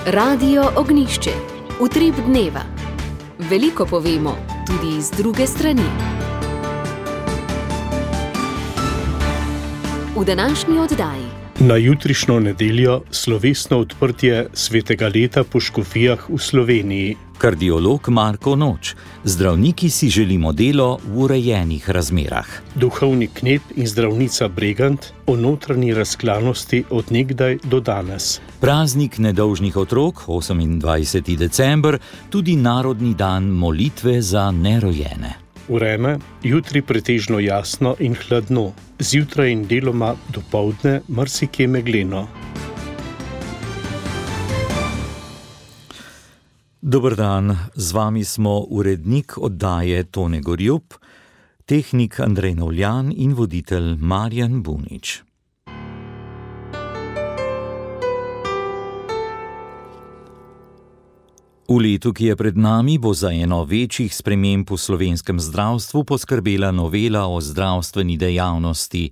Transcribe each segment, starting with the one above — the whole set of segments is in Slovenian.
Radio Ognjišče. Utrip dneva. Veliko povemo, tudi iz druge strani. V današnji oddaji. Na jutrišnjo nedeljo slovesno odprtje svetega leta po škofijah v Sloveniji. Kardiolog Marko Noč. Zdravniki si želimo delo v urejenih razmerah. Duhovni knep in zdravnica Bregant o notranji razklanosti od nekdaj do danes. Praznik nedolžnih otrok, 28. december, tudi narodni dan molitve za nerojene. Vreme, jutri pretežno jasno in hladno, zjutraj in deloma dopoldne marsikje megleno. Dober dan, z vami smo urednik oddaje Tone Gorjup, tehnik Andrej Novljan in voditelj Marjan Bunič. V letu, ki je pred nami, bo za eno večjih sprememb v slovenskem zdravstvu poskrbela novela o zdravstveni dejavnosti.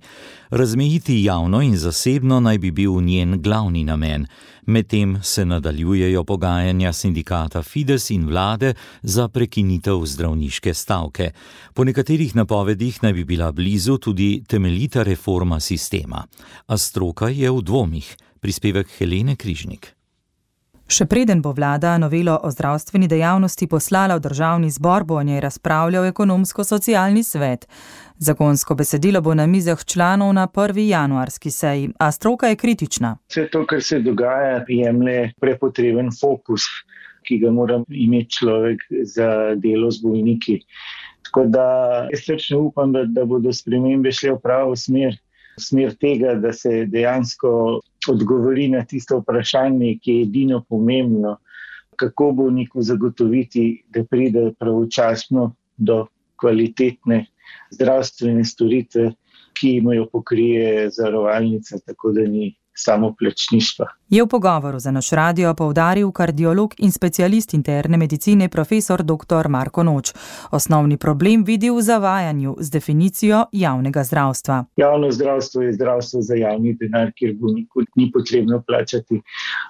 Razmejiti javno in zasebno naj bi bil njen glavni namen. Medtem se nadaljujejo pogajanja sindikata Fides in vlade za prekinitev zdravniške stavke. Po nekaterih napovedih naj bi bila blizu tudi temeljita reforma sistema. A stroka je v dvomih. Prispevek Helene Križnik. Še preden bo vlada novelo o zdravstveni dejavnosti poslala v državni zbor, bo o njej razpravljal ekonomsko-socialni svet. Zakonsko besedilo bo na mizah članov na 1. januarski seji, a stroka je kritična. Vse to, kar se dogaja, jemlje prepotreben fokus, ki ga mora imeti človek za delo z bolniki. Tako da jaz srčno upam, da bodo spremembe šle v pravo smer tega, da se dejansko odgovori na tisto vprašanje, ki je edino pomembno, kako bolniku zagotoviti, da pride pravočasno do kvalitetne zdravstvene storitve, ki jim jo pokrije zavarovalnica, tako da ni samo plačništva. Je v pogovoru za naš radio poudaril kardiolog in specialist interne medicine profesor dr. Marko Noč. Osnovni problem vidi v zavajanju z definicijo javnega zdravstva. Javno zdravstvo je zdravstvo za javni denar, kjer bolniku ni potrebno plačati.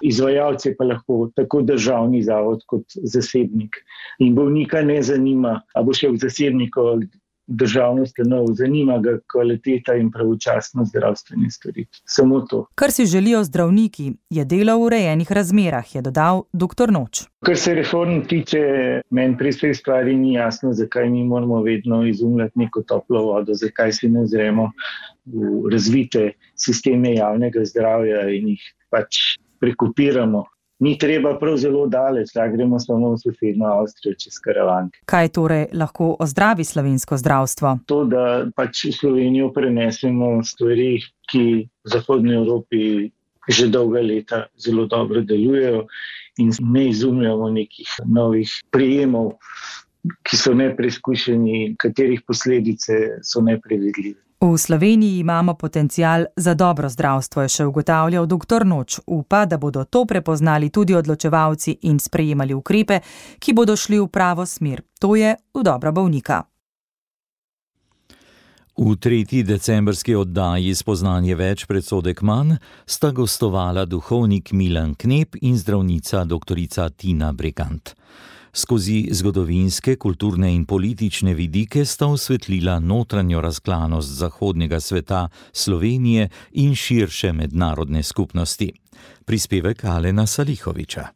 Izvajalce pa lahko tako državni zavod kot zasebnik. In bolnika ne zanima, a bo šel k zasebniku državno ustanovo, zanima ga kvaliteta in pravočasnost zdravstvene storitve. Samo to. Kar si želijo zdravniki, je delo v urejenih razmerah, je dodal dr. Noč. Kar se reform tiče, meni pri vsej stvari ni jasno, zakaj mi moramo vedno izumljati neko toplo vodo, zakaj se ne ozremo v razvite sisteme javnega zdravja in jih pač prekopiramo. Ni treba prav zelo daleč, da gremo samo v sosednjo Avstrijo čez Karavanke. Kaj torej lahko ozdravi slovensko zdravstvo? To, da pač v Slovenijo prenesemo stvari, ki v Zahodni Evropi že dolga leta zelo dobro delujejo in ne izumljamo nekih novih prijemov, ki so nepreizkušeni, katerih posledice so nepredvidljive. V Sloveniji imamo potencial za dobro zdravstvo, je še ugotavljal dr. Noč. Upa, da bodo to prepoznali tudi odločevalci in sprejemali ukrepe, ki bodo šli v pravo smer. To je v dobro bolnika. V 3. decembrski oddaji Spoznanje več, predsodek manj sta gostovala duhovnik Milan Knep in zdravnica doktorica Tina Bregant. Skozi zgodovinske, kulturne in politične vidike sta osvetlila notranjo razklanost zahodnega sveta, Slovenije in širše mednarodne skupnosti. Prispevek Alena Salihoviča.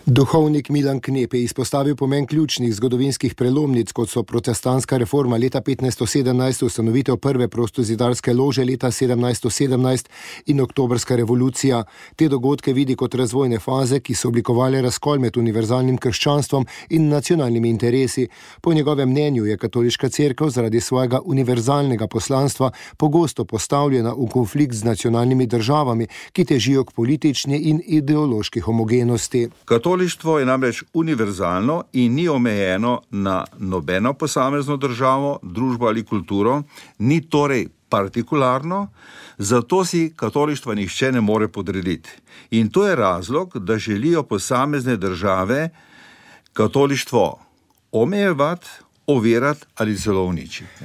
Duhovnik Milan Knep je izpostavil pomen ključnih zgodovinskih prelomnic, kot so protestantska reforma leta 1517, ustanovitev prve prostozidarske lože leta 1717 in oktobrska revolucija. Te dogodke vidi kot razvojne faze, ki so oblikovale razkol med univerzalnim krščanstvom in nacionalnimi interesi. Po njegovem mnenju je katoliška cerkev zaradi svojega univerzalnega poslanstva pogosto postavljena v konflikt z nacionalnimi državami, ki težijo k politični in ideološki homogenosti. Katolištvo je namreč univerzalno in ni omejeno na nobeno posamezno državo, družbo ali kulturo, ni torej partikularno, zato si katolištva nihče ne more podrediti. In to je razlog, da želijo posamezne države katolištvo omejevati, ovirati ali celo uničiti.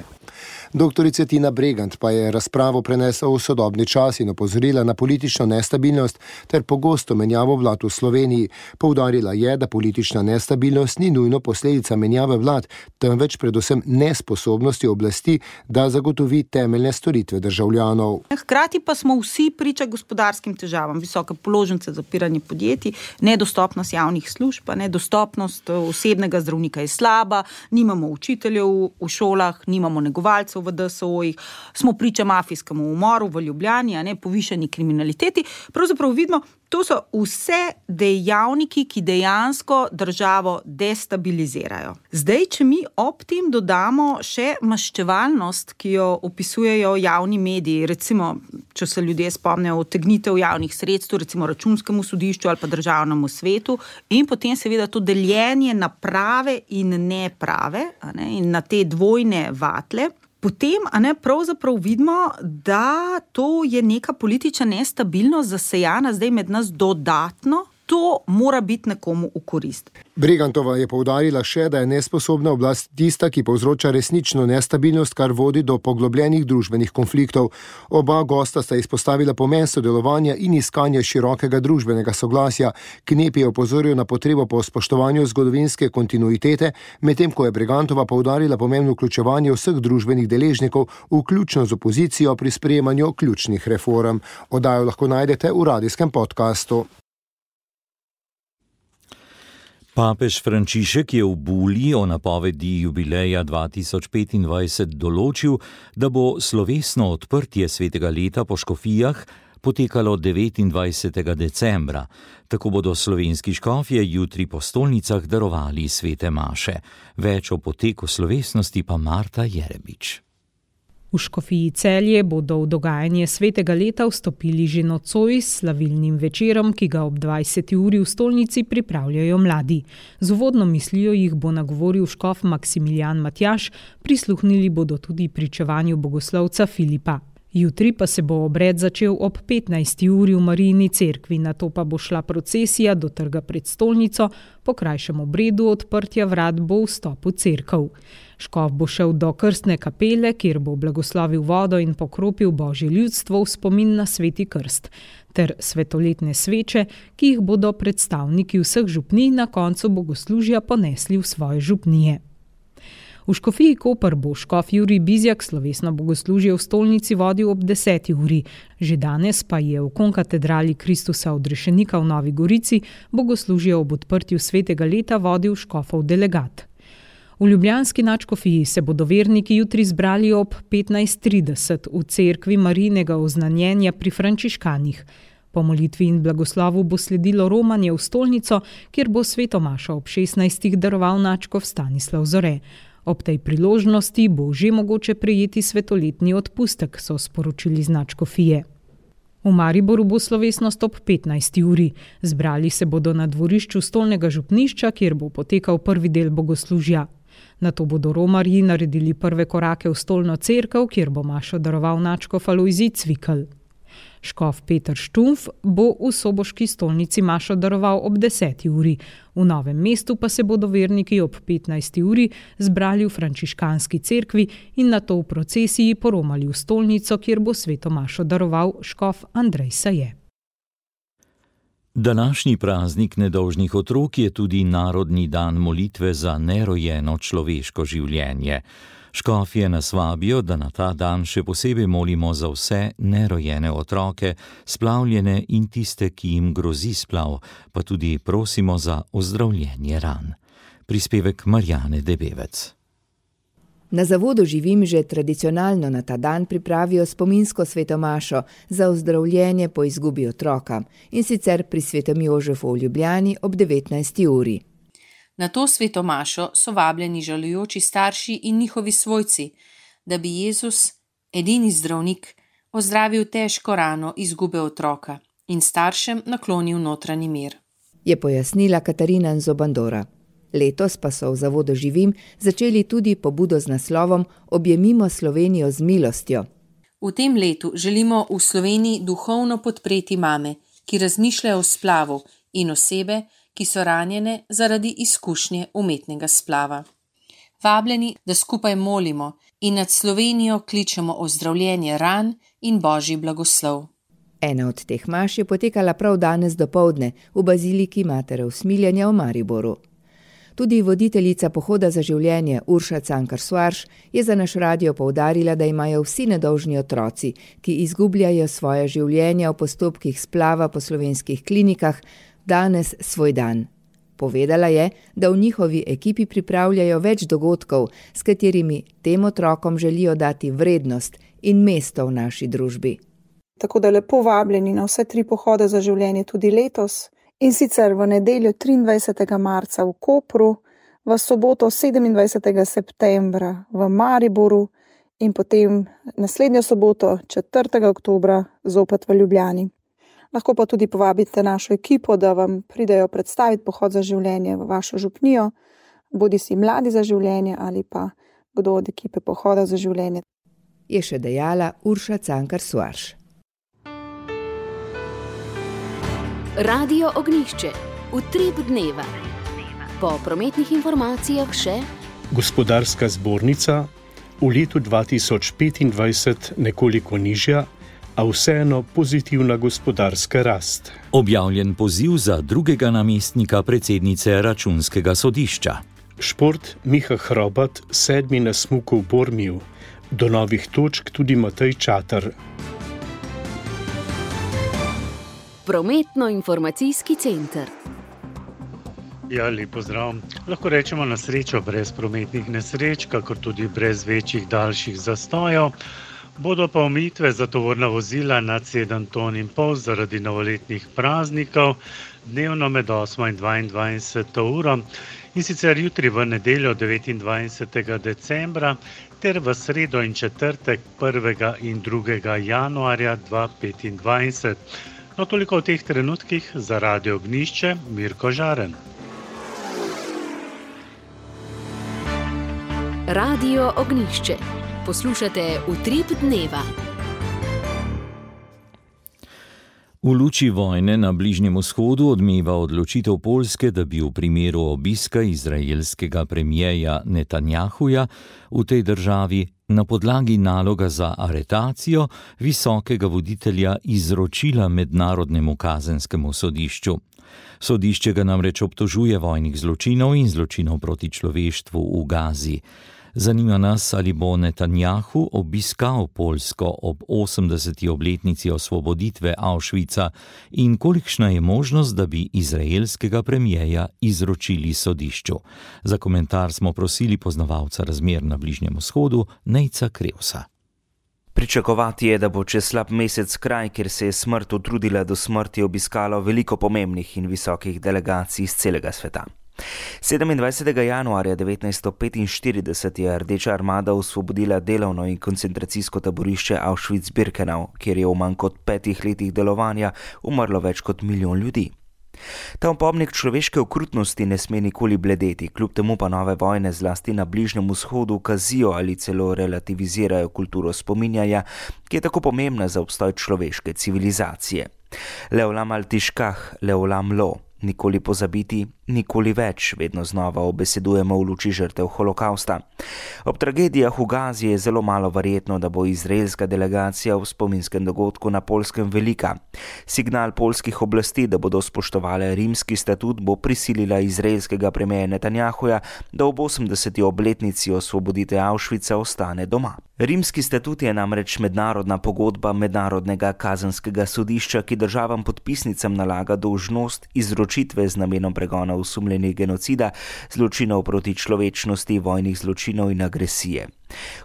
Doktorica Tina Bregant pa je razpravo prenesla v sodobni čas in opozorila na politično nestabilnost ter pogosto menjavo vlad v Sloveniji. Poudarila je, da politična nestabilnost ni nujno posledica menjave vlad, temveč predvsem nesposobnosti oblasti, da zagotovi temeljne storitve državljanov. Hkrati pa smo vsi priča gospodarskim težavam, visoke položnice, zapiranje podjetij, nedostopnost javnih služb, nedostopnost osebnega zdravnika je slaba, nimamo učiteljev v šolah, nimamo negovalcev v DSO-jih, smo priča mafijskemu umoru v Ljubljani, povišani kriminaliteti. Pravzaprav vidimo, to so vse dejavniki, ki dejansko državo destabilizirajo. Zdaj, če mi ob tem dodamo še maščevalnost, ki jo opisujejo javni mediji, recimo, če se ljudje spomnijo odtegnitev javnih sredstev, recimo Računskemu sodišču ali pa Državnemu svetu, in potem seveda to deljenje na prave in neprave, in na te dvojne vatle, potem pravzaprav vidimo, da to je neka politična nestabilnost zasejana zdaj med nas dodatno. To mora biti nekomu v korist. Bregantova je poudarila še, da je nesposobna oblast tista, ki povzroča resnično nestabilnost, kar vodi do poglobljenih družbenih konfliktov. Oba gosta sta izpostavila pomen sodelovanja in iskanja širokega družbenega soglasja. Knep je opozoril na potrebo po spoštovanju zgodovinske kontinuitete, medtem ko je Bregantova poudarila pomen vključevanja vseh družbenih deležnikov, vključno z opozicijo pri sprejemanju ključnih reform. Oddajo lahko najdete v radijskem podkastu. Papež Frančišek je v buli o napovedi jubileja 2025 določil, da bo slovesno odprtje svetega leta po škofijah potekalo 29. decembra. Tako bodo slovenski škofje jutri po stolnicah darovali svete maše. Več o poteku slovesnosti pa Marta Jerebič. V škofiji Celje bodo v dogajanje svetega leta vstopili že nocoj s slavilnim večerom, ki ga ob 20. uri v stolnici pripravljajo mladi. Z uvodno mislijo jih bo nagovoril škof Maksimilijan Matjaž, prisluhnili bodo tudi pričevanju bogoslovca Filipa. Jutri pa se bo obred začel ob 15. uri v Marijini cerkvi, nato pa bo šla procesija do trga pred stolnico, po krajšem obredu odprtja vrat bo vstop v cerkev. Škof bo šel do krstne kapele, kjer bo blagoslovil vodo in pokropil Božje ljudstvo v spomin na sveti krst, ter svetoletne sveče, ki jih bodo predstavniki vseh župnij na koncu bogoslužja ponesli v svoje župnije. V škofiji Koper bo škof Jurij Bizjak slovesno bogoslužje v stolnici vodil ob 10. uri. Že danes pa je v konkatedrali Kristusa odrešenika v Novi Gorici bogoslužje ob odprtju svetega leta vodil škofov delegat. V ljubljanski nadškofiji se bodo verniki jutri zbrali ob 15:30 v cerkvi Marijinega oznanjenja pri frančiškanih. Po molitvi in blagoslovu bo sledilo romanje v stolnico, kjer bo sveto mašo ob 16. daroval nadškof Stanislav Zore. Ob tej priložnosti bo že mogoče prejeti svetoletni odpustek, so sporočili z nadškofije. V Mariboru bo slovesnost ob 15. uri. Zbrali se bodo na dvorišču stolnega župnišča, kjer bo potekal prvi del bogoslužja. Nato bodo romarji naredili prve korake v stolno cerkev, kjer bo mašo daroval nadškof Alojzij Cvikl. Škof Peter Štumf bo v soboški stolnici mašo daroval ob 10. uri. V Novem mestu pa se bodo verniki ob 15. uri zbrali v frančiškanski cerkvi in nato v procesiji poromali v stolnico, kjer bo sveto mašo daroval škof Andrej Saje. Današnji praznik nedolžnih otrok je tudi narodni dan molitve za nerojeno človeško življenje. Škofje nas vabijo, da na ta dan še posebej molimo za vse nerojene otroke, splavljene in tiste, ki jim grozi splav, pa tudi prosimo za ozdravljenje ran. Prispevek Marjane Debevec. Na zavodu Živim že tradicionalno na ta dan pripravijo spominsko sveto mašo za ozdravljenje po izgubi otroka, in sicer pri svetem Jožefu v Ljubljani ob 19. uri. Na to sveto mašo so vabljeni žalujoči starši in njihovi svojci, da bi Jezus, edini zdravnik, ozdravil težko rano izgube otroka in staršem naklonil notranji mir. Je pojasnila Katarina Nzobandora. Letos pa so v zavodu Živim začeli tudi pobudo z naslovom Objemimo Slovenijo z milostjo. V tem letu želimo v Sloveniji duhovno podpreti mame, ki razmišljajo o splavu, in osebe, ki so ranjene zaradi izkušnje umetnega splava. Vabljeni, da skupaj molimo in nad Slovenijo kličemo ozdravljenje ran in božji blagoslov. Ena od teh maš je potekala prav danes dopoldne v baziliki Matere Usmiljenja v Mariboru. Tudi voditeljica Pohoda za življenje Urša Cankar Soares je za naš radio poudarila, da imajo vsi nedolžni otroci, ki izgubljajo svoje življenja v postopkih splava po slovenskih klinikah, danes svoj dan. Povedala je, da v njihovi ekipi pripravljajo več dogodkov, s katerimi tem otrokom želijo dati vrednost in mesto v naši družbi. Tako da lepo vabljeni na vse 3 pohode za življenje tudi letos, in sicer v nedeljo 23. marca v Kopru, v soboto 27. septembra v Mariboru in potem naslednjo soboto 4. oktobra zopet v Ljubljani. Lahko pa tudi povabite našo ekipo, da vam pridejo predstaviti pohod za življenje v vašo župnijo, bodisi Mladi za življenje ali pa kdo od ekipe Pohoda za življenje. Je še dejala Urša Cankar Soares. Radio Ognjišče, utrip dneva. Po prometnih informacijah še Gospodarska zbornica, v letu 2025 nekoliko nižja, a vseeno pozitivna gospodarska rast. Objavljen poziv za drugega namestnika predsednice Računskega sodišča. Šport, Miha Hrobat, 7. na smuku v Bormiju. Do novih točk tudi Matej Čatar. Prometno-informacijski center. Ja, lep pozdrav. Lahko rečemo na srečo brez prometnih nesreč, kakor tudi brez večjih daljših zastojev. Bodo pa omejitve za tovorna vozila nad 7,5 ton zaradi novoletnih praznikov dnevno med 8 in 22 uro, in sicer jutri v nedeljo 29. decembra ter v sredo in četrtek 1. in 2. januarja 2025. No, toliko v teh trenutkih za Radio Ognjišče, Mirko Žaren. Radio Ognjišče. Poslušate Utrip dneva. V luči vojne na Bližnjem vzhodu odmeva odločitev Poljske, da bi v primeru obiska izraelskega premierja Netanjahuja v tej državi na podlagi naloga za aretacijo visokega voditelja izročila Mednarodnemu kazenskemu sodišču. Sodišče ga namreč obtožuje vojnih zločinov in zločinov proti človeštvu v Gazi. Zanima nas, ali bo Netanjahu obiskal Poljsko ob 80. obletnici osvoboditve Auschwitza in kolikšna je možnost, da bi izraelskega premierja izročili sodišču. Za komentar smo prosili poznavalca razmer na Bližnjem vzhodu, Nejca Krevsa. Pričakovati je, da bo čez slab mesec kraj, kjer se je smrt utrudila do smrti, obiskalo veliko pomembnih in visokih delegacij iz celega sveta. 27. januarja 1945 je Rdeča armada osvobodila delovno in koncentracijsko taborišče Auschwitz-Birkenau, kjer je v manj kot 5 letih delovanja umrlo več kot 1 milijon ljudi. Ta opomnik človeške okrutnosti ne sme nikoli bledeti, kljub temu pa nove vojne zlasti na Bližnjem vzhodu kazijo ali celo relativizirajo kulturo spominjanja, ki je tako pomembna za obstoj človeške civilizacije. Leolam al-Tishkah, Leolam lo. Nikoli pozabiti, nikoli več, vedno znova obesedujemo v luči žrtev holokausta. Ob tragedijah v Gazi je zelo malo verjetno, da bo izraelska delegacija v spominskem dogodku na Poljskem velika. Signal poljskih oblasti, da bodo spoštovali rimski statut, bo prisilila izraelskega premierja Netanjahuja, da ob 80. obletnici osvoboditve Auschwitza ostane doma. Rimski statut je namreč mednarodna pogodba Mednarodnega kazenskega sodišča, ki državam podpisnicam nalaga dolžnost izročitve z namenom pregona osumljenih genocida, zločinov proti človečnosti, vojnih zločinov in agresije.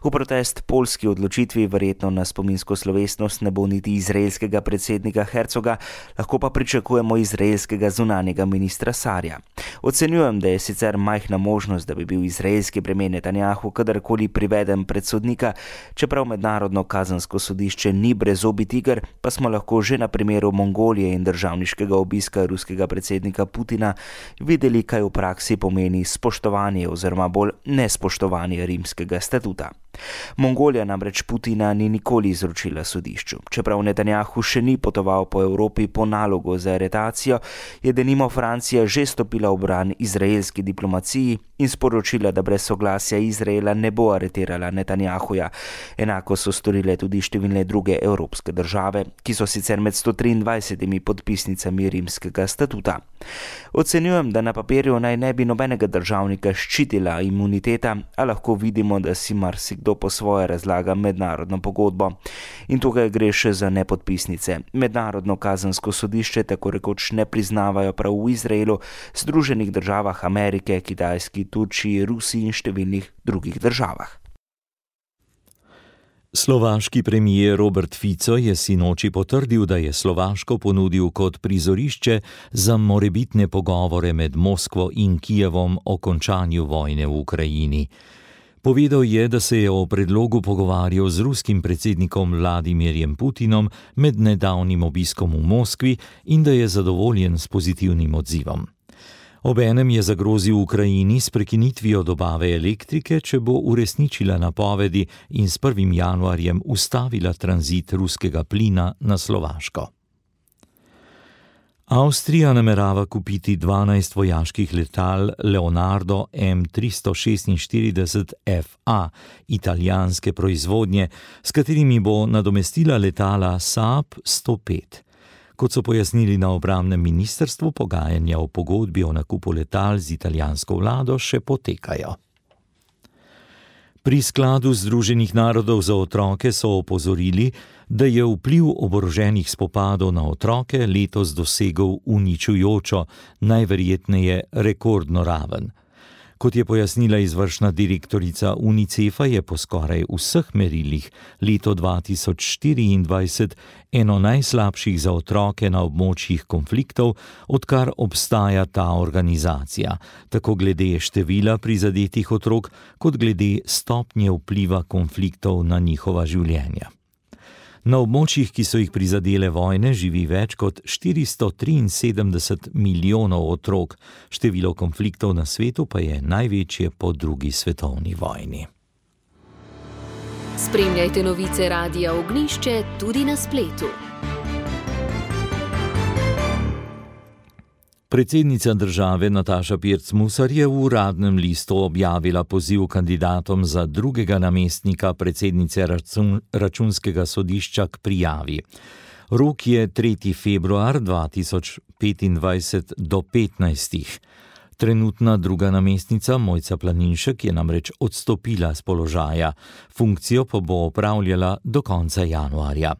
V protest poljski odločitvi verjetno na spominsko slovesnost ne bo niti izraelskega predsednika Herzoga, lahko pa pričakujemo izraelskega zunanjega ministra Sarja. Ocenjujem, da je sicer majhna možnost, da bi bil izraelski premijer Netanjahu kadarkoli priveden pred sodnika, čeprav Mednarodno kazensko sodišče ni brezobi tiger, pa smo lahko že na primeru Mongolije in državniškega obiska ruskega predsednika Putina videli, kaj v praksi pomeni spoštovanje oziroma bolj nespoštovanje rimskega statuta. Mongolija namreč Putina ni nikoli izročila sodišču. Čeprav Netanjahu še ni potoval po Evropi po nalogu za aretacijo, je denimo Francija že stopila v bran izraelski diplomaciji in sporočila, da brez soglasja Izraela ne bo aretirala Netanjahuja. Enako so storile tudi številne druge evropske države, ki so sicer med 123 podpisnicami rimskega statuta. Ocenjujem, da na papirju naj ne bi nobenega državnika ščitila imuniteta, a lahko vidimo, da si marsikdo po svoje razlaga mednarodno pogodbo. In tukaj gre še za nepodpisnice. Mednarodno kazensko sodišče tako rekoč ne priznavajo prav v Izraelu, Združenih državah Amerike, Kitajski, Turčiji, Rusiji in številnih drugih državah. Slovaški premijer Robert Fico je sinoči potrdil, da je Slovaško ponudil kot prizorišče za morebitne pogovore med Moskvo in Kijevom o končanju vojne v Ukrajini. Povedal je, da se je o predlogu pogovarjal z ruskim predsednikom Vladimirjem Putinom med nedavnim obiskom v Moskvi in da je zadovoljen s pozitivnim odzivom. Obenem je zagrozil Ukrajini s prekinitvijo dobave elektrike, če bo uresničila napovedi in s 1. januarjem ustavila tranzit ruskega plina na Slovaško. Avstrija namerava kupiti 12 vojaških letal Leonardo M346 FA italijanske proizvodnje, s katerimi bo nadomestila letala Saab 105. Kot so pojasnili na obrambnem ministrstvu, pogajanja o pogodbi o nakupu letal z italijansko vlado še potekajo. Pri skladu Združenih narodov za otroke so opozorili, da je vpliv oboroženih spopadov na otroke letos dosegel uničujočo, najverjetneje rekordno raven. Kot je pojasnila izvršna direktorica UNICEF-a, je po skoraj vseh merilih leto 2024 eno najslabših za otroke na območjih konfliktov, odkar obstaja ta organizacija, tako glede števila prizadetih otrok, kot glede stopnje vpliva konfliktov na njihova življenja. Na območjih, ki so jih prizadele vojne, živi več kot 473 milijonov otrok, število konfliktov na svetu pa je največje po drugi svetovni vojni. Spremljajte novice Radia Ognjišče tudi na spletu. Predsednica države Nataša Pirc Musar je v Uradnem listu objavila poziv kandidatom za drugega namestnika predsednice Računskega sodišča k prijavi. Rok je 3. februar 2025 do 15. Trenutna druga namestnica Mojca Planinšek je namreč odstopila z položaja, funkcijo pa bo opravljala do konca januarja.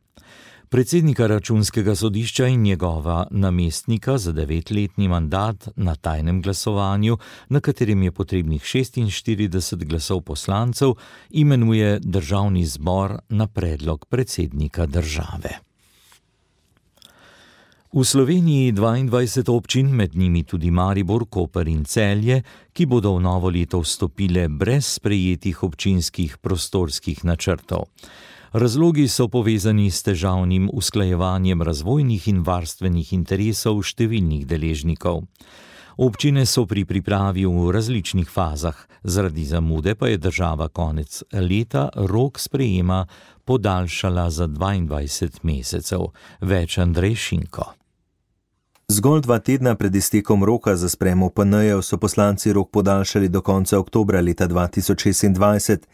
Predsednika Računskega sodišča in njegova namestnika za 9-letni mandat na tajnem glasovanju, na katerem je potrebnih 46 glasov poslancev, imenuje Državni zbor na predlog predsednika države. V Sloveniji 22 občin, med njimi tudi Maribor, Koper in Celje, ki bodo v novo leto vstopile brez sprejetih občinskih prostorskih načrtov. Razlogi so povezani s težavnim usklajevanjem razvojnih in varstvenih interesov številnih deležnikov. Občine so pri pripravi v različnih fazah, zaradi zamude pa je država konec leta rok sprejema podaljšala za 22 mesecev. Več Andrej Šinko. Zgolj 2 tedna pred iztekom roka za sprejem OPN-jev so poslanci rok podaljšali do konca oktobra leta 2026.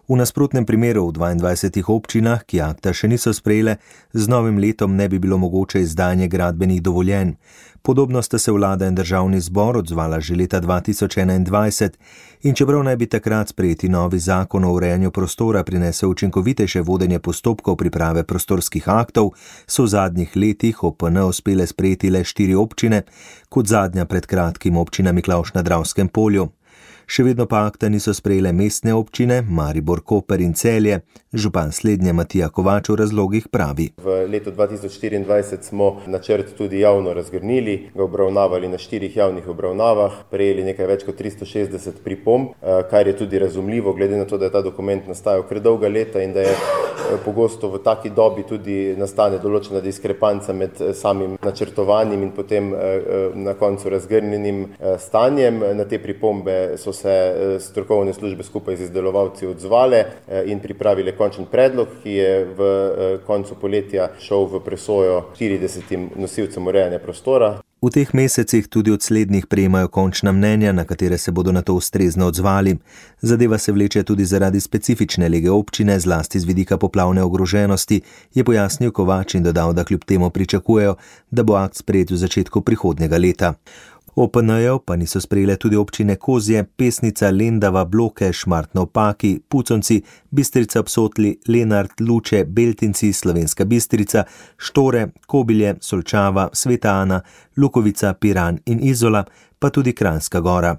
V nasprotnem primeru v 22 občinah, ki akta še niso sprejele, z novim letom ne bi bilo mogoče izdajanje gradbenih dovoljenj. Podobno sta se vlada in državni zbor odzvala že leta 2021 in čeprav naj bi takrat sprejeti novi zakon o urejanju prostora prinesel učinkovitejše vodenje postopkov priprave prostorskih aktov, so v zadnjih letih OPN uspele sprejeti le 4 občine, kot zadnja pred kratkim občina Miklavž na Dravskem polju. Še vedno pa akta niso sprejele mestne občine, Maribor, Koper in Celje. Župan slednje Matija Kovač v razlogih pravi. V letu 2024 smo načrt tudi javno razgrnili, ga obravnavali na 4 javnih obravnavah, prejeli nekaj več kot 360 pripomb, kar je tudi razumljivo, glede na to, da je ta dokument nastajal kar dolga leta in da je pogosto v taki dobi tudi nastane določena diskrepanca med samim načrtovanjem in potem na koncu razgrnjenim stanjem. Na te pripombe so se strokovne službe skupaj z izdelovalci odzvale in pripravile končen predlog, ki je v koncu poletja šel v presojo 40 nosilcem urejanja prostora. V teh mesecih tudi od slednjih prejemajo končna mnenja, na katere se bodo na to ustrezno odzvali. Zadeva se vleče tudi zaradi specifične lege občine, zlasti z vidika poplavne ogroženosti, je pojasnil Kovač in dodal, da kljub temu pričakujejo, da bo akt sprejet v začetku prihodnjega leta. OPN-jev pa niso sprejele tudi občine Kozje, Pesnica, Lendava, Bloke, Šmartno ob Paki, Puconci, Bistrica ob Sotli, Lenart, Luče, Beltinci, Slovenska Bistrica, Štore, Kobilje, Solčava, Sveta Ana, Lukovica, Piran in Izola, pa tudi Kranjska Gora.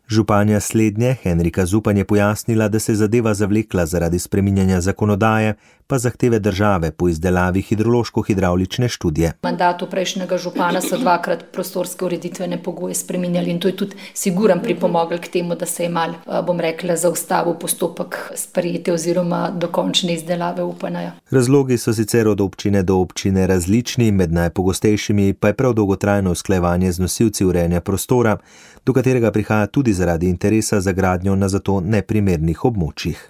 Županja slednje, Henrika Zupan, je pojasnila, da se zadeva zavlekla zaradi spreminjanja zakonodaje, pa zahteve države po izdelavi hidrološko-hidravlične študije. V mandatu prejšnjega župana so dvakrat prostorske ureditvene pogoje spreminjali in to je tudi siguran pripomogel k temu, da se je mal, zaustavil postopek sprejete oziroma dokončne izdelave OPN-ja. Razlogi so sicer od občine do občine različni, med najpogostejšimi pa je prav dolgotrajno usklajevanje z nosilci urejanja prostora, do katerega prihaja tudi zaradi interesa za gradnjo na zato neprimernih območjih.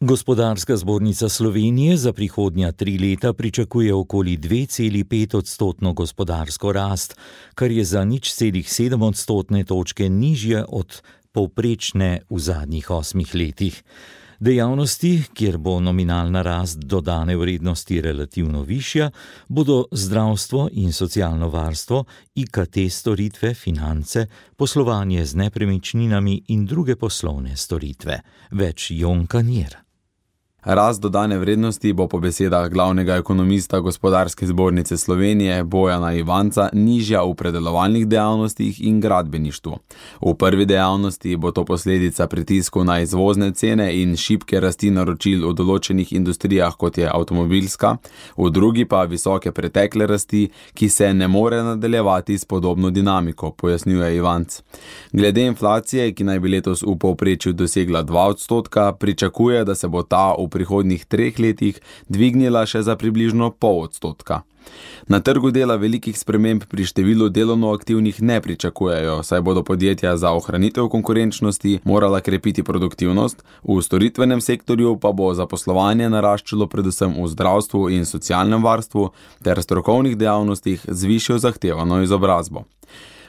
Gospodarska zbornica Slovenije za prihodnja 3 leta pričakuje okoli 2,5% gospodarsko rast, kar je za 0,7 odstotne točke nižje od povprečne v zadnjih 8 letih. Dejavnosti, kjer bo nominalna rast dodane vrednosti relativno višja, bodo zdravstvo in socialno varstvo, IKT storitve, finance, poslovanje z nepremičninami in druge poslovne storitve. Več Jon Kanjer. Rast dodane vrednosti bo po besedah glavnega ekonomista Gospodarske zbornice Slovenije Bojana Ivanca nižja v predelovalnih dejavnostih in gradbeništvu. V prvi dejavnosti bo to posledica pritisku na izvozne cene in šibke rasti naročil v določenih industrijah, kot je avtomobilska, v drugi pa visoke pretekle rasti, ki se ne more nadaljevati s podobno dinamiko, pojasnjuje Ivanc. Glede inflacije, ki naj bi letos v povprečju dosegla 2%, pričakuje, da se bo ta v prihodnjih 3 letih dvignila še za približno 0,5%. Na trgu dela velikih sprememb pri številu delovno aktivnih ne pričakujejo, saj bodo podjetja za ohranitev konkurenčnosti morala krepiti produktivnost, v storitvenem sektorju pa bo zaposlovanje naraščalo predvsem v zdravstvu in socialnem varstvu ter strokovnih dejavnostih z višjo zahtevano izobrazbo.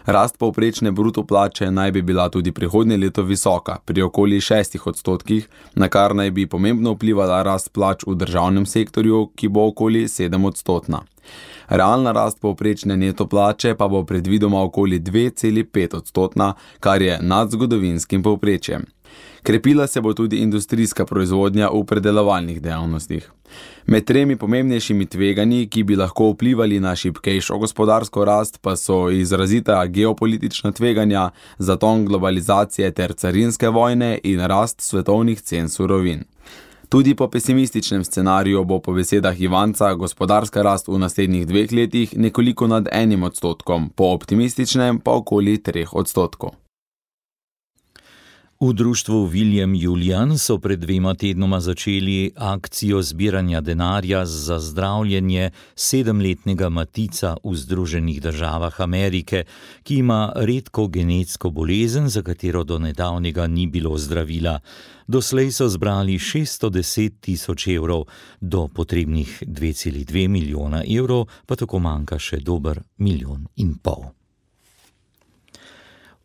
Rast povprečne bruto plače naj bi bila tudi prihodnje leto visoka, pri okoli 6%, na kar naj bi pomembno vplivala rast plač v državnem sektorju, ki bo okoli 7%. Realna rast povprečne neto plače pa bo predvidoma okoli 2,5%, kar je nad zgodovinskim povprečjem. Krepila se bo tudi industrijska proizvodnja v predelovalnih dejavnostih. Med 3 pomembnejšimi tveganji, ki bi lahko vplivali na šibkejšo gospodarsko rast, pa so izrazita geopolitična tveganja, zaton globalizacije ter carinske vojne in rast svetovnih cen surovin. Tudi po pesimističnem scenariju bo po besedah Ivanca gospodarska rast v naslednjih 2 letih nekoliko nad 1%, po optimističnem pa okoli 3%. V društvu William Julian so pred 2 tednoma začeli akcijo zbiranja denarja za zdravljenje 7-letnega Matica v Združenih državah Amerike, ki ima redko genetsko bolezen, za katero do nedavnega ni bilo zdravila. Doslej so zbrali 610.000 evrov, do potrebnih 2,2 milijona evrov pa tako manjka še dober 1,5 milijona.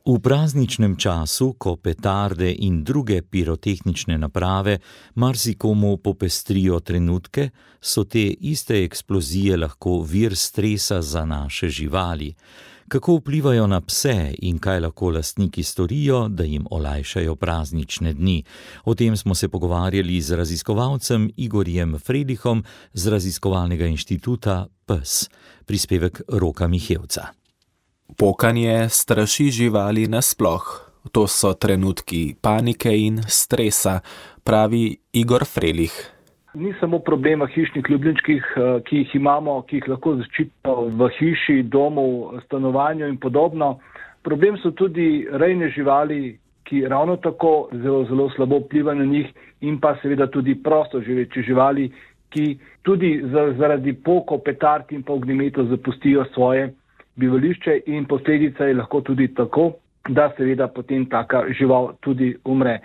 V prazničnem času, ko petarde in druge pirotehnične naprave marsikomu popestrijo trenutke, so te iste eksplozije lahko vir stresa za naše živali. Kako vplivajo na pse in kaj lahko lastniki storijo, da jim olajšajo praznične dni? O tem smo se pogovarjali z raziskovalcem Igorjem Fredihom z raziskovalnega inštituta PES. Prispevek Roka Mihevca. Pokanje straši živali nasploh. To so trenutki panike in stresa, pravi Igor Frelih. Ni samo problema hišnih ljubljenčkih, ki jih imamo, ki jih lahko zaščitimo v hiši, domu, stanovanju in podobno. Problem so tudi rejne živali, ki ravno tako zelo slabo vplivajo na njih, in pa seveda tudi prosto živeče živali, ki tudi zaradi pokov, petard in pa ognjemetov zapustijo svoje bivališče, in posledica je lahko tudi tako, da seveda potem taka žival tudi umre.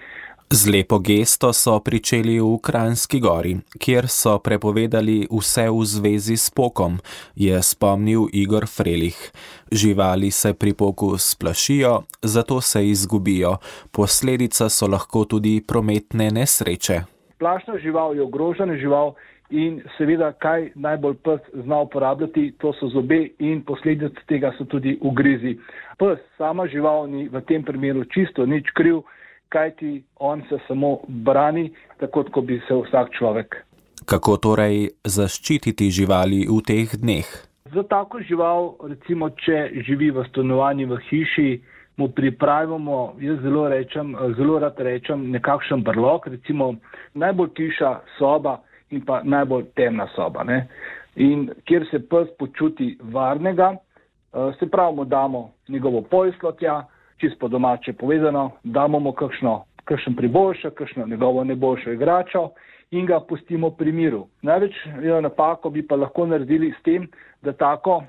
Z lepo gesto so pričeli v Kranjski Gori, kjer so prepovedali vse v zvezi s pokom, je spomnil Igor Frelih. Živali se pri poku splašijo, zato se izgubijo. Posledica so lahko tudi prometne nesreče. Plašna žival je ogrožena žival in seveda, kaj najbolj pes zna uporabljati, to so zobe in posledica tega so tudi ugrizi. Pes, sama žival, ni v tem primeru čisto nič kriv, kajti on se samo brani, tako kot bi se vsak človek. Kako torej zaščititi živali v teh dneh? Za tako žival, recimo, če živi v stanovanju v hiši, mu pripravimo, jaz zelo rad rečem, nekakšen brlog, recimo najbolj tiša soba in pa najbolj temna soba, ne? In kjer se pes počuti varnega, se pravi, mu damo njegovo posteljo tja, čisto po domače povedano, damo mu kakšen priboljšek, kakšno njegovo najboljšo igračo in ga pustimo pri miru. Največ napako bi pa lahko naredili s tem, da tako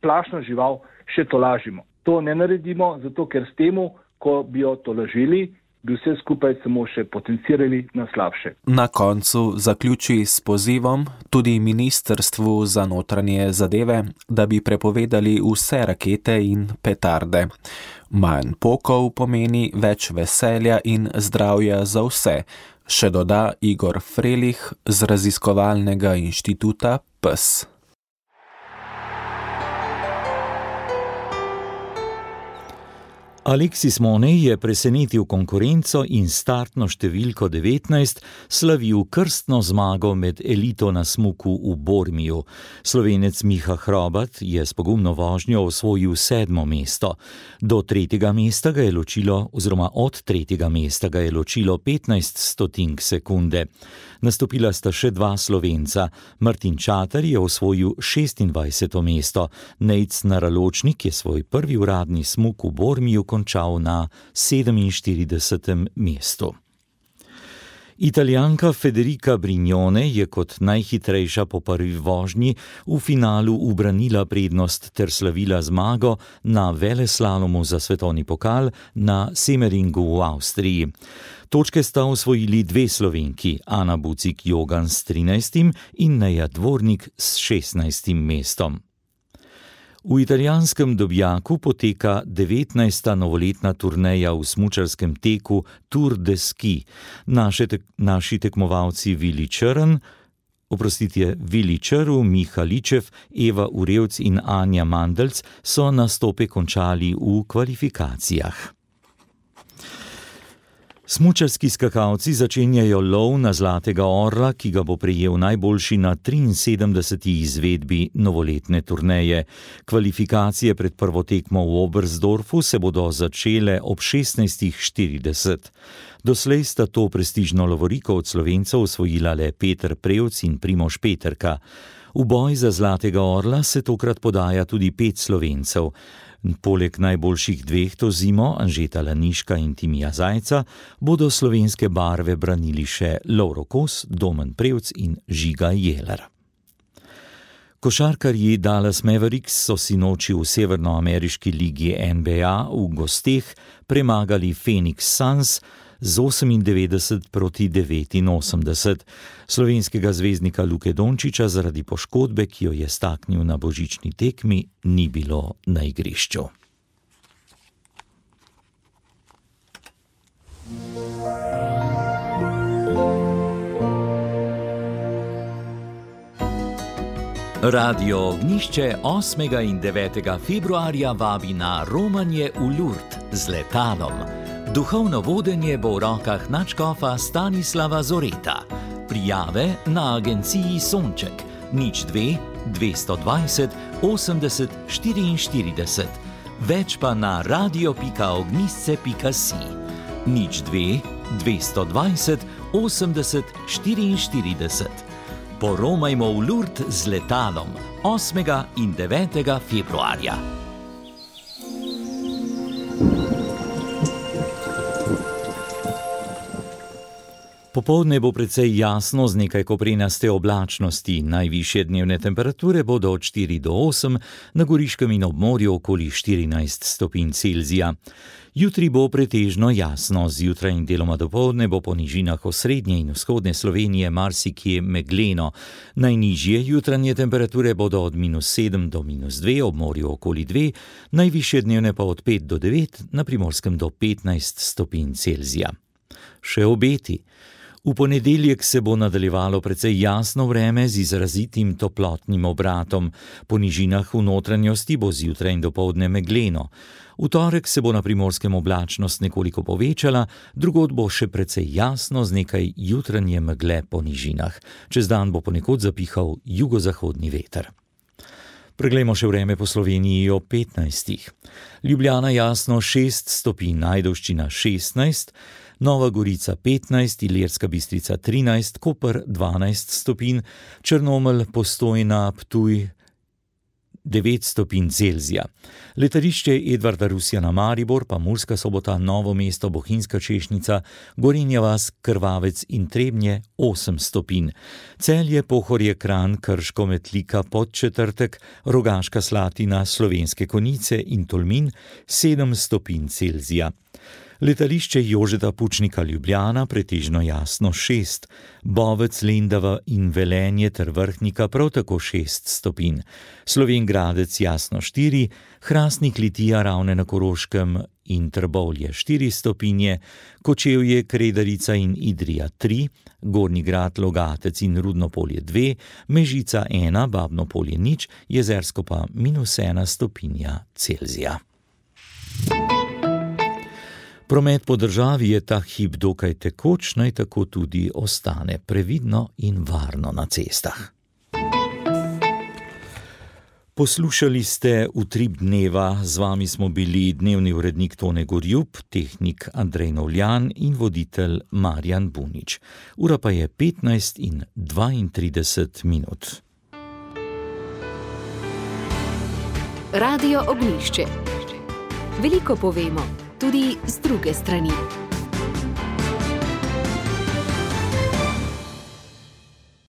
plašno žival še tolažimo. To ne naredimo, zato ker s temu, ko bi jo tolažili, bi vse skupaj samo še potencirali na slabše. Na koncu zaključi s pozivom tudi Ministrstvu za notranje zadeve, da bi prepovedali vse rakete in petarde. Manj pokov pomeni več veselja in zdravja za vse, še doda Igor Frelih z raziskovalnega inštituta PES. Aleksis Monej je presenetil konkurenco in startno številko 19 slavil krstno zmago med elito na smuku v Bormiju. Slovenec Miha Hrobat je s pogumno vožnjo osvojil 7. mesto. Od 3. mesta ga je ločilo 15 stotink sekunde. Nastopila sta še 2 Slovenca. Martin Čater je osvojil 26. mesto. Nejc Naraločnik je svoj prvi uradni smuk v Bormiju končal na 47. mestu. Italijanka Federica Brignone je kot najhitrejša po prvi vožnji v finalu ubranila prednost ter slavila zmago na veleslalomu za svetovni pokal na Semmeringu v Avstriji. Točke sta osvojili 2 Slovenki, Ana Bucik-Jogan s 13. in Neja Dvornik s 16. mestom. V italijanskem Dobjaku poteka 19. novoletna turneja v smučarskem teku Tour de Ski. Naši tekmovalci Vili Črv, Miha Ličev, Eva Urevc in Anja Mandelc so nastope končali v kvalifikacijah. Smučarski skakalci začenjajo lov na Zlatega orla, ki ga bo prejel najboljši na 73. izvedbi novoletne turneje. Kvalifikacije pred prvo tekmo v Oberstdorfu se bodo začele ob 16.40. Doslej sta to prestižno lovoriko od Slovencev osvojila le Peter Prevc in Primož Peterka. V boj za Zlatega orla se tokrat podaja tudi 5 Slovencev. Poleg najboljših 2 to zimo, Anžeta Laniška in Timija Zajca, bodo slovenske barve branili še Lovro Kos, Domen Prevc in Žiga Jeler. Košarkarji Dallas Mavericks so sinoči v severnoameriški ligi NBA v gosteh premagali Phoenix Suns z 98-89. Slovenskega zvezdnika Luke Dončiča zaradi poškodbe, ki jo je staknil na božični tekmi, ni bilo na igrišču. Radio Ognjišče 8. in 9. februarja vabi na romanje v Lourdes z letalom. Duhovno vodenje bo v rokah nadškofa Stanislava Zoreta. Prijave na agenciji Sonček 02 220 80 44. Več pa na radio.ognisce.si 02 220 80 44. Poromajmo v Lourdes z letalom 8. in 9. februarja. Popoldne bo precej jasno z nekaj koprenaste oblačnosti. Najvišje dnevne temperature bodo od 4 do 8, na Goriškem in ob morju okoli 14 stopinj Celzija. Jutri bo pretežno jasno, zjutraj in deloma dopoldne bo po nižinah osrednje in vzhodne Slovenije marsikje megleno. Najnižje jutranje temperature bodo od -7 do -2, ob morju okoli 2, najvišje dnevne pa od 5 do 9, na Primorskem do 15 stopinj Celzija. Še obeti. V ponedeljek se bo nadaljevalo precej jasno vreme z izrazitim toplotnim obratom. Po nižinah v notranjosti bo zjutraj in dopoldne megleno. V torek se bo na Primorskem oblačnost nekoliko povečala, drugod bo še precej jasno z nekaj jutranje megle po nižinah. Čez dan bo ponekod zapihal jugozahodni veter. Preglejmo še vreme po Sloveniji ob 15. Ljubljana jasno 6 stopinj, Ajdovščina 16, Nova Gorica 15, Ilirska Bistrica 13, Koper 12 stopinj, Črnomelj, Postojna, Ptuj 9 stopinj Celzija. Letališče Edvarda Rusjana Maribor, pa Murska Sobota, Novo mesto, Bohinjska Češnica, Gorenja vas, Krvavec in Trebnje 8 stopinj. Celje, Pohorje, Kranj, Krško, Metlika, Podčetrtek, Rogaška Slatina, Slovenske Konjice in Tolmin 7 stopinj Celzija. Letališče Jožeta Pučnika Ljubljana pretežno jasno 6, Bovec, Lendava in Velenje ter Vrhnika prav tako 6 stopinj. Slovenj Gradec jasno 4, Hrastnik, Litija, Ravne na Koroškem in Trbovlje 4 stopinje, Kočevje, Kredarica in Idrija 3, Gornji Grad, Logatec in Rudno Polje 2, Mežica 1, Babno Polje 0, Jezersko pa -1 stopinja Celzija. Promet po državi je ta hip dokaj tekoč, naj tako tudi ostane, previdno in varno na cestah. Poslušali ste Utrip dneva, z vami smo bili dnevni urednik Tone Gorjup, tehnik Andrej Novljan in voditelj Marjan Bunič. Ura pa je 15:32. Radio Ognjišče. Veliko povemo, tudi z druge strani.